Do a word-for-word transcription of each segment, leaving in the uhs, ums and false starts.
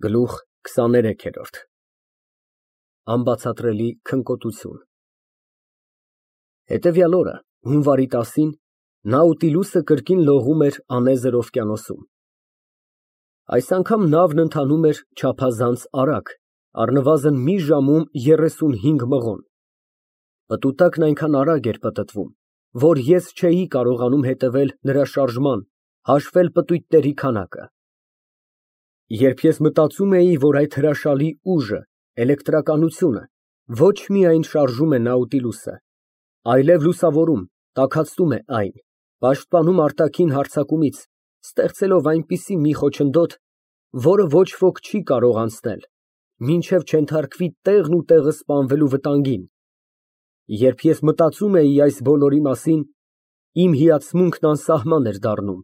Գլուխ քսաներեքերորդ Անբացատրելի քնկոտություն Հետևյալ օրը, հունվարի տասին, Նաուտիլուսը կրկին լողում էր անեզր օվկիանոսում։ Այս անգամ նավն ընթանում էր չափազանց արագ, առնվազն մի ժամում երեսունհինգ մղոն։ Պտուտակն այնքան արագ էր պտտվում, որ ես չէի կարողանում հետևել նրա շարժման, հաշվել պտույտների քանակը։ Երբ ես մտածում էի, որ այդ հրաշալի ուժը, էլեկտրականությունը, ոչ միայն շարժում է Նաուտիլուսը, այլև լուսավորում, տաքացնում է այն, պաշտպանում արտաքին հարձակումից, ստեղծելով այնպիսի մի խոչընդոտ, որը ոչ ոք չի կարող անցնել, մինչև չենթարկվի տեղն ու տեղը սպանվելու վտանգին, երբ ես մտածում էի այս բոլորի մասին, իմ հիացմունքն անսահման էր դառնում։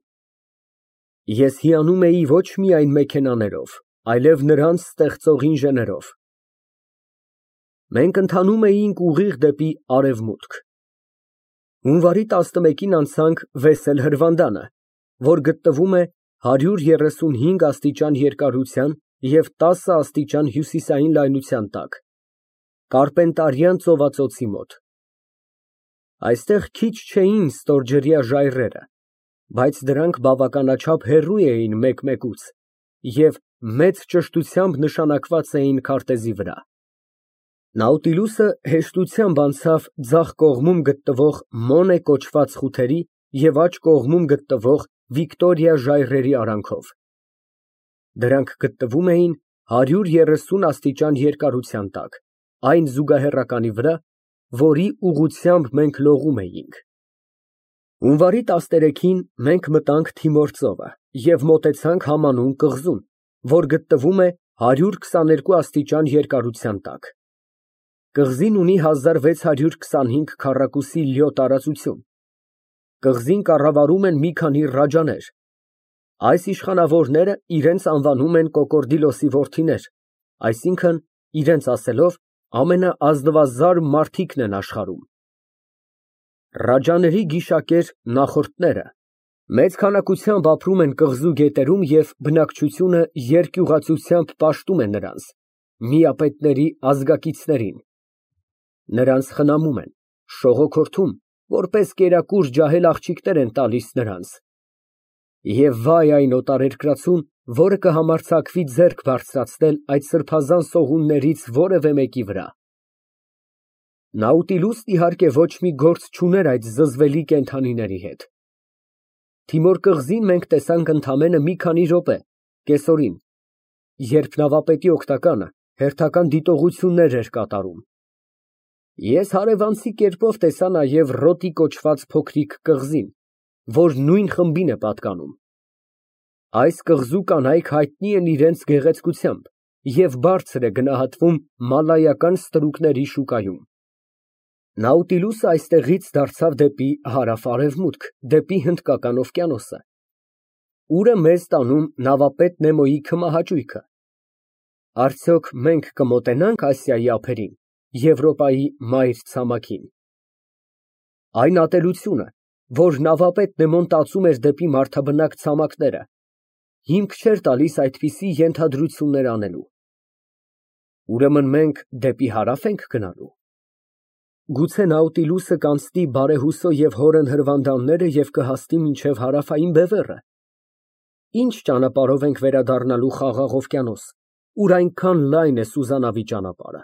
Ես հիանում էի ոչ միայն մեքենաներով, այլև նրանց ստեղծող ինժեներով։ Մենք ընթանում էինք ուղիղ դեպի արևմուտք։ Հունվարի տասնմեկին անցանք Վեսել հրվանդանը, որ գտնվում է հարյուր երեսունհինգ աստիճան երկարության և տասը աստիճան հյուսիսային լայնության տակ, Կարպենտարյան ծովածոցի մոտ։ Այստեղ քիչ չէին ստորջրյա ժայռերը, բայց դրանք բավականաչափ հեռու էին մեկմեկուց և մեծ ճշտությամբ նշանակված էին քարտեզի վրա։ Նաուտիլուսը հեշտությամբ անցավ ձախ կողմում գտնվող Մոնե կոչված խութերի և աջ կողմում գտնվող Վիկտորիա ժայռերի արանքով։ Դրանք գտնվում էին հարյուր երեսուն աստիճան երկարության տակ, այն զուգահեռականի վրա, որի ուղղությամբ մենք լողում էինք։ Հունվարի տասներեքին մենք մտանք Թիմոր ծովը և մոտեցանք համանուն կղզուն, որ գտնվում է հարյուր քսաներկու աստիճան երկարության տակ։ Կղզին ունի հազար վեց հարյուր քսանհինգ քառակուսի լյո տարածություն։ Կղզին կառավարում են մի քանի ռաջաներ։ Այս իշխանավորները իրենց անվանում են Կոկորդիլոսի որդիներ, այսինքն, իրենց ասելով, ամենաազնվազար մարդիկն են աշխարհում։ Ռաջաների գիշակեր նախորդները մեծ քանակությամբ ապրում են կղզու գետերում և բնակչությունը երկյուղածությամբ պաշտում է նրանց, միապետների ազգակիցներին։ Նրանց խնամում են, շողոքորթում, որպես կերակուր ջահել աղջիկներ են տալիս նրանց։ Եվ վայ այն օտարերկրացուն, որը կհամարձակվի ձեռք բարձրացնել այդ սրբազան սողուններից որևէ մեկի վրա։ Նաուտիլուսն իհարկե ոչ մի գործ չուներ այդ զզվելի կենդանիների հետ։ Թիմոր կղզին մենք տեսանք ընդամենը մի քանի րոպե, կեսօրին, երբ նավապետի օգնականը հերթական դիտողություններ էր կատարում։ Ես հարևանցի կերպով տեսա նաև Ռոտի կոչված փոքրիկ կղզին, որ նույն խմբին է պատկանում։ Այս կղզու կանայք հայտնի են իրենց գեղեցկությամբ և բարձր է գնահատվում մալայական ստրուկների շուկայում։ Նաուտիլուսը այստեղից դարձավ դեպի հարավ֊արևմուտք, դեպի Հնդկական օվկիանոսը։ Ուր է մեզ տանում նավապետ Նեմոյի քմահաճույքը։ Արդյոք մենք կմոտենա՞նք Ասիայի ափերին, Եվրոպայի մայր ցամաքին։ Այն ատելությունը, որ նավապետ Նեմոն տածում էր դեպի մարդաբնակ ցամաքները, հիմք չէր տալիս այդպիսի ենթադրություններ անելու։ Ուրեմն մենք դեպի հարավ ենք գնալու։ Գուցե Նաուտիլուսը կանցնի Բարեհուսո և Հորեն հրվանդանները և կհասնի մինչև հարավային բևեռը։ Ինչ ճանապարհով ենք վերադառնալու Խաղաղ օվկիանոս, ուր այնքան լայն է սուզանավի ճանապարհը։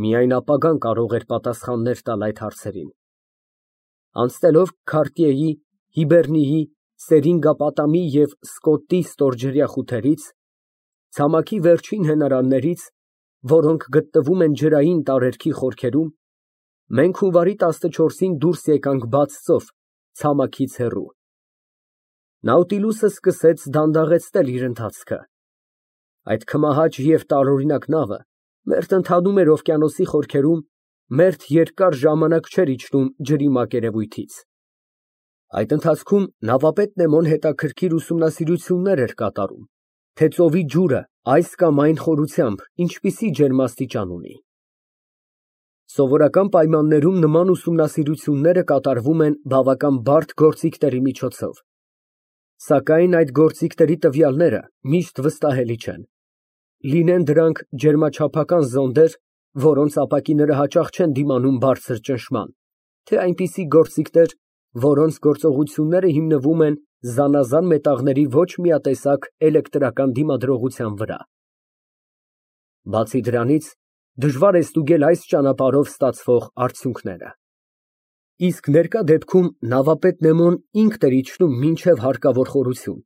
Միայն ապագան կարող էր պատասխաններ տալ այդ հարցերին։ Անցնելով Քարտիեի, Հիբեռնիի, Սերինգապատամի և Սկոտտի ստորջրյա խութերից, ցամաքի վերջին հենարաններից, որոնք գտնվում են ջրային տարերքի խորքերում, մենք հունվարի տասնչորսին դուրս եկանք բաց ծով, ցամաքից հեռու։ Նաուտիլուսը սկսեց դանդաղեցնել իր ընթացքը։ Այդ քմահաճ և տարօրինակ նավը մերթ ընթանում էր օվկիանոսի խորքերում, մերթ երկար ժամանակ չէր իջնում ջրի մակերևույթից։ Այդ ընթացքում նավապետ Նեմոն հետաքրքիր ուսումնասիրություններ էր կատարում, թե ծովի ջուրը այս կամ այն խորությամբ ինչպիսի ջերմաստիճան ունի։ Սովորական պայմաններում նման ուսումնասիրությունները կատարվում են բավական բարդ գործիքների միջոցով, սակայն այդ գործիքների տվյալները միշտ վստահելի չեն։ լինեն դրանք ջերմաչափական զոնդեր, որոնց ապակիները հաճախ չեն դիմանում բարձր ճնշման, թե այնպիսի գործիքներ, որոնց գործողությունները հիմնվում են զանազան մետաղների ոչ միատեսակ էլեկտրական դիմադրողության վրա։ Բացի դրանից, դժվար է ստուգել այս ճանապարհով ստացվող արդյունքները։ Իսկ ներկա դեպքում նավապետ Նեմոն ինքն էր իջնում մինչև հարկավոր խորություն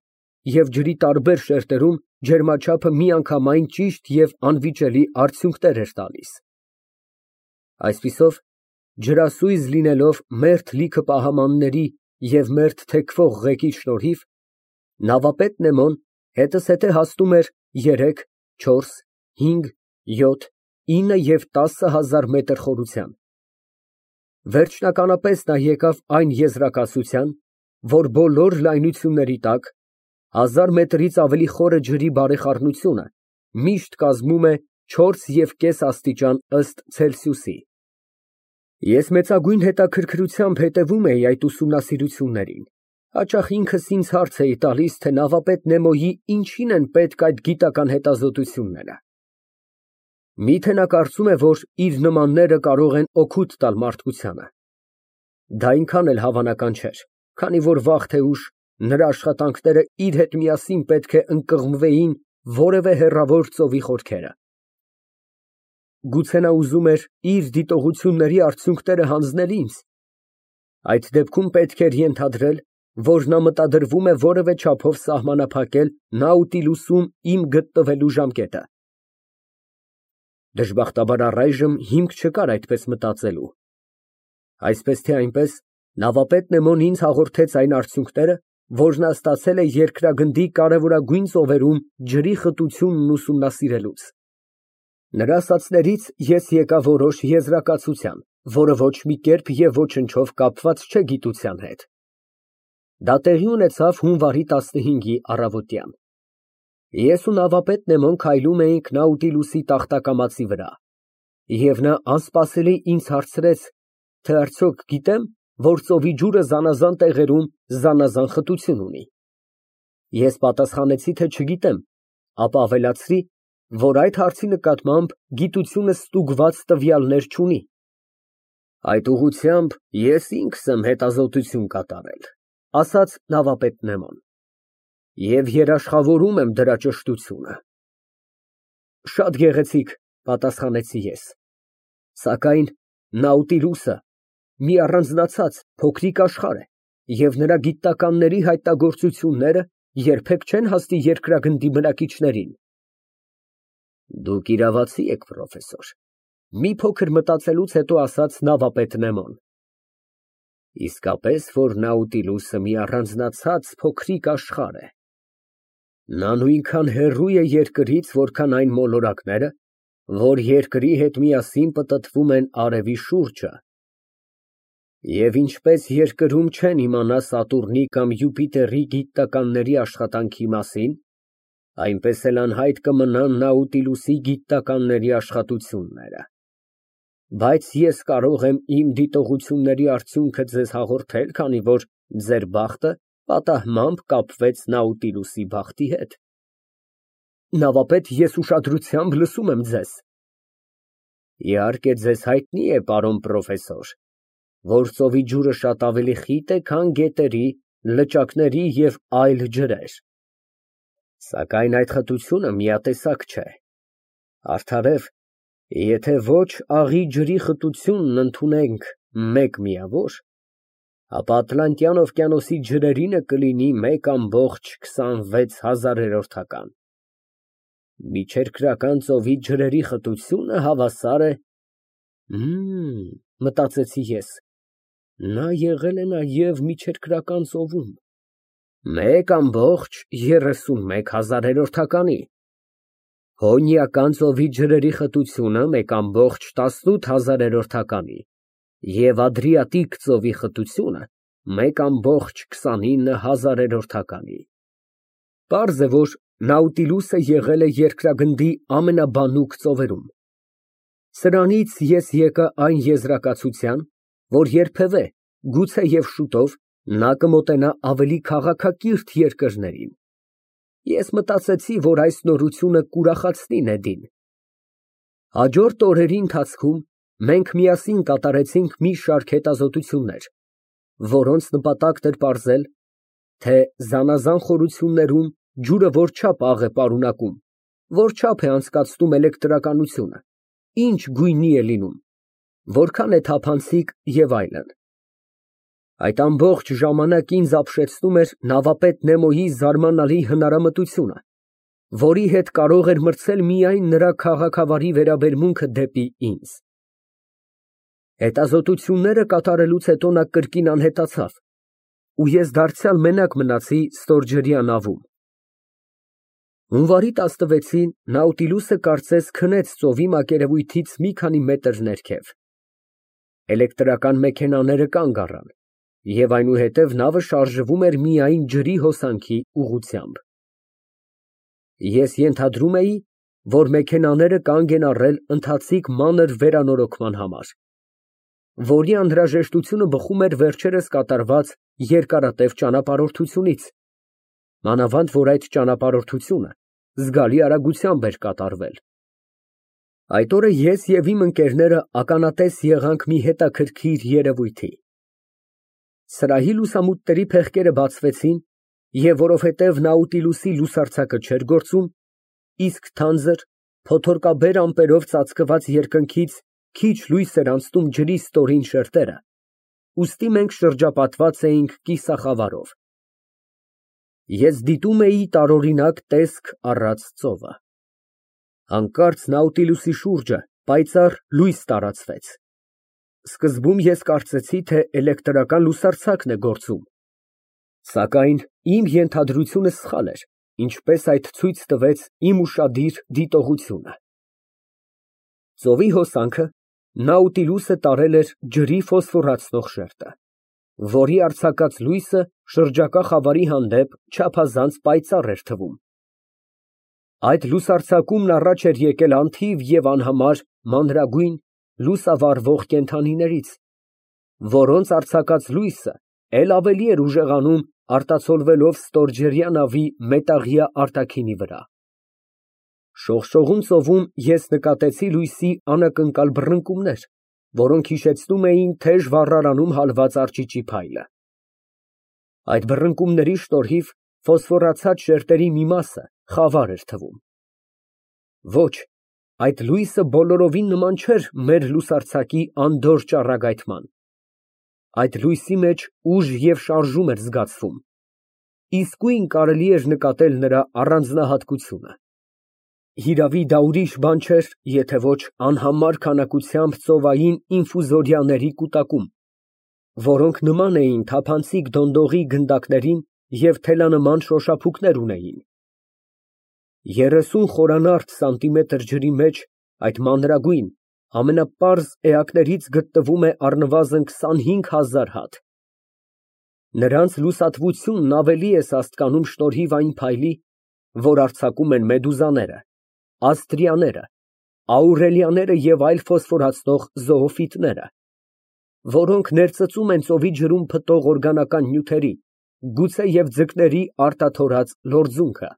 և ջրի տարբեր շերտերում ջերմաչափը միանգամայն ճիշտ և անվիճելի արդյունքներ էր տալիս։ Այսպիսով, ջրասույզ լինելով մերթ լիքը պահամանների և մերթ թեքվող ղեկի շնորհիվ, նավապետ Նեմոն հետզհետե հասնում էր երեք, չորս, հինգ, յոթ, ինը և տասը հազար մետր խորության։ Վերջնականապես նա եկավ այն եզրակացության, որ բոլոր լայնությունների տակ հազար մետրից ավելի խորը ջրի բարեխառնությունը միշտ կազմում է չորս և կես աստիճան ըստ Ցելսիուսի։ Ես մեծագույն հետաքրքրությամբ հետևում էի այդ ուսումնասիրություններին, հաճախ ինքս ինձ հարց էի տալիս, թե նավապետ Նեմոյի ինչին են պետք այդ գիտական հետազոտությունները։ Մի՞թե նա կարծում է, որ իր նմանները կարող են օգուտ տալ մարդկությանը։ Դա այնքան էլ հավանական չէր, քանի որ վաղ թե ուշ նրա աշխատանքները իր հետ միասին պետք է ընկղմվեին որևէ հեռավոր ծովի խորքերը։ Գուցե նա ուզում էր իր դիտողությունների արդյունքները հանձնել ինձ։ Այդ դեպքում պետք էր ենթադրել, որ նա մտադրվում է որևէ չափով սահմանափակել Նաուտիլուսում իմ գտնվելու ժամկետը։ Դժբախտաբար առայժմ հիմք չկար այդպես մտածելու։ Այսպես թե այնպես, նավապետ Նեմոն ինձ հաղորդեց այն արդյունքները, որ նա ստացել է երկրագնդի կարևորագույն ծովերում ջրի խտությունն ուսումնասիրելուց։ Նրա ասածներից ես եկա որոշ եզրակացության, որը ոչ մի կերպ և ոչնչով կապված չէ գիտության հետ։ Դա տեղի ունեցավ հունվարի տասնհինգի առավոտյան։ Ես ու նավապետ Նեմոն քայլում էինք Նաուտիլուսի տախտակամածի վրա, և նա անսպասելի ինձ հարցրեց, թե արդյոք գիտեմ, որ ծովի ջուրը զանազան տեղերում զանազան խտություն ունի։ Ես պատասխանեցի, թե չգիտեմ, ապա ավելացրի, որ այդ հարցի նկատմամբ գիտությունը ստուգված տվյալներ չունի։ Այդ ուղղությամբ ես ինքս եմ հետազոտություն կատարել, ասաց նավապետ Նեմոն, և երաշխավորում եմ դրա ճշտությունը։ Շատ գեղեցիկ, պատասխանեցի ես, սակայն Նաուտիլուսը մի առանձնացած փոքրիկ աշխարհ է, և նրա գիտնականների հայտնագործությունները երբեք չեն հասնի երկրագնդի բնակիչներին։ Դուք իրավացի եք, պրոֆեսոր, մի փոքր մտածելուց հետո ասաց նավապետ Նեմոն։ Իսկապես, որ Նաուտիլուսը մի առանձնացած փոքրիկ աշխարհ է։ Նա նույնքան հեռու է երկրից, որքան այն մոլորակները, որ երկրի հետ միասին պտտվում են արևի շուրջը։ Եվ ինչպես երկրում չեն իմանա Սատուրնի կամ Յուպիտերի գիտնականների աշխատանքի մասին, այնպես էլ անհայտ կմնան Նաուտիլուսի գիտնականների աշխատությունները։ Բայց ես կարող եմ իմ դիտողությունների արդյունքը ձեզ հաղորդել, քանի որ ձեր բախտը պատահմամբ կապվեց Նաուտիլուսի բախտի հետ։ Նավապետ, ես ուշադրությամբ լսում եմ ձեզ։ Իհարկե, ձեզ հայտնի է, պարոն պրոֆեսոր, որ ծովի ջուրը շատ ավելի խիտ է, քան գետերի, լճակների և այլ ջրեր։ Սակայն այդ խտությունը միատեսակ չէ։ Արդարև, եթե ոչ աղի ջրի խտությունն ընդունենք մեկ միավոր, ապա Ատլանտյան օվկիանոսի ջրերինը կլինի մեկ ամբողջ քսանվեց հազարերորդական։ Միջերկրական ծովի ջրերի խտությունը հավասար է… Հըմ, մտածեցի ես, նա եղել է նաև միջերկրական ծովում, մեկ ամբողջ երեսունմեկ հազարերորդականի, Հոնիական ծովի ջրերի խտությունը մեկ ամբողջ տասնութ հազարերորդականի և Ադրիատիկ ծովի խտությունը մեկ ամբողջ քսանինը հազարերորդականի։ Պարզ է, որ Նաուտիլուսը եղել է երկրագնդի ամենաբանուկ ծովերում։ Սրանից ես եկա այն եզրակացության, որ երբևէ, գուցե և շուտով, նա կմոտենա ավելի քաղաքակիրթ երկրներին։ Ես մտածեցի, որ այս նորությունը կուրախացնի Նեդին։ Հաջորդ օրերի ընթացքում մենք միասին կատարեցինք մի շարք հետազոտություններ, որոնց նպատակն էր պարզել, թե զանազան խորություններում ջուրը որչափ աղ է պարունակում, որչափ է անցկացնում էլեկտրականությունը, ինչ գույնի է լինում, որքան է թափանցիկ և այլն։ Այդ ամբողջ ժամանակ ինձ ապշեցնում էր նավապետ Նեմոյի զարմանալի հնարամտությունը, որի հետ կարող էր մրցել միայն նրա քաղաքավարի վերաբերմունքը դեպի ինձ։ Հետազոտությունները կատարելուց հետո նա կրկին անհետացավ, ու ես դարձյալ մենակ մնացի ստորջրյա նավում։ Հունվարի տասնվեցին Նաուտիլուսը կարծես քնեց ծովի մակերևույթից մի քանի մետր ներքև։ Էլեկտրական մեքենաները կանգ առան, և այնուհետև նավը շարժվում էր միայն ջրի հոսանքի ուղղությամբ։ Ես ենթադրում էի, որ մեքենաները կանգ են առել ընթացիկ մանր վերանորոգման համար, որի անհրաժեշտությունը բխում էր վերջերս կատարված երկարատև ճանապարհորդությունից, մանավանդ որ այդ ճանապարհորդությունը զգալի արագությամբ էր կատարվել։ Այդ օրը ես և իմ ընկերները ականատես եղանք մի հետաքրքիր երևույթի։ Սրահի լուսամուտների փեղկերը բացվեցին, և որովհետև Նաուտիլուսի լուսարձակը չէր գործում, իսկ թանձր, փոթորկաբեր ամպերով ծածկված երկնքից քիչ լույս էր անցնում ջրի ստորին շերտերը, ուստի մենք շրջապատված էինք կիսախավարով։ Ես դիտում էի տարօրինակ տեսք առած ծովը։ Հանկարծ Նաուտիլուսի շուրջը պայծառ լույս տարածվեց։ Սկզբում ես կարծեցի, թե էլեկտրական լուսարձակն է գործում, սակայն իմ ենթադրությունը սխալ էր, ինչպես այդ ցույց տվեց իմ ուշադիր դիտողությունը։ Ծովի հոսանքը Նաուտիլուսը տարել էր ջրի ֆոսֆորացնող շերտը, որի արձակած լույսը շրջակա խավարի հանդեպ չափազանց պայծառ էր թվում։ Այդ լուսարձակումն առաջ էր եկել անթիվ և անհամար մանրագույն, լուսավառվող կենդանիներից, որոնց արձակած լույսը էլ ավելի էր ուժեղանում արտացոլվելով ստորջրյա նավի մետաղյա արտաքինի վրա։ Շողշողուն ծովում ես նկատեցի լույսի անակնկալ բռնկումներ, որոնք հիշեցնում էին թեժ վառարանում հալված արճիճի փայլը։ Այդ բռնկումների շնորհիվ ֆոսֆորացած շերտերի մի մասը խավար էր թվում։ Ոչ, այդ լույսը բոլորովին նման չէր մեր լուսարձակի անդորր ճառագայթման։ Այդ լույսի մեջ ուժ և շարժում էր զգացվում, իսկույն կարելի էր նկատել նրա առանձնահատկությունը։ Հիրավի, դա ուրիշ բան չէր, եթե ոչ անհամար քանակությամբ ծովային ինֆուզորիաների կուտակում, որոնք նման էին թափանցիկ դոնդողի գնդակներին և թելանման շոշափուկներ ունեին։ Երեսուն խորանարդ սանտիմետր ջրի մեջ այդ մանրագույն, ամենապարզ էակներից գտնվում է առնվազն քսանհինգ հազար հատ։ Նրանց լուսատվությունն ավելի է սաստկանում շնորհիվ այն փայլի, որ արձակում են մեդուզաները, աստրիաները, աուրելիաները և այլ ֆոսֆորացնող զոոֆիտները, որոնք ներծծում են ծովի ջրում փտող օրգանական նյութերի, գուցեև ձկների արտաթորած լորձունքը։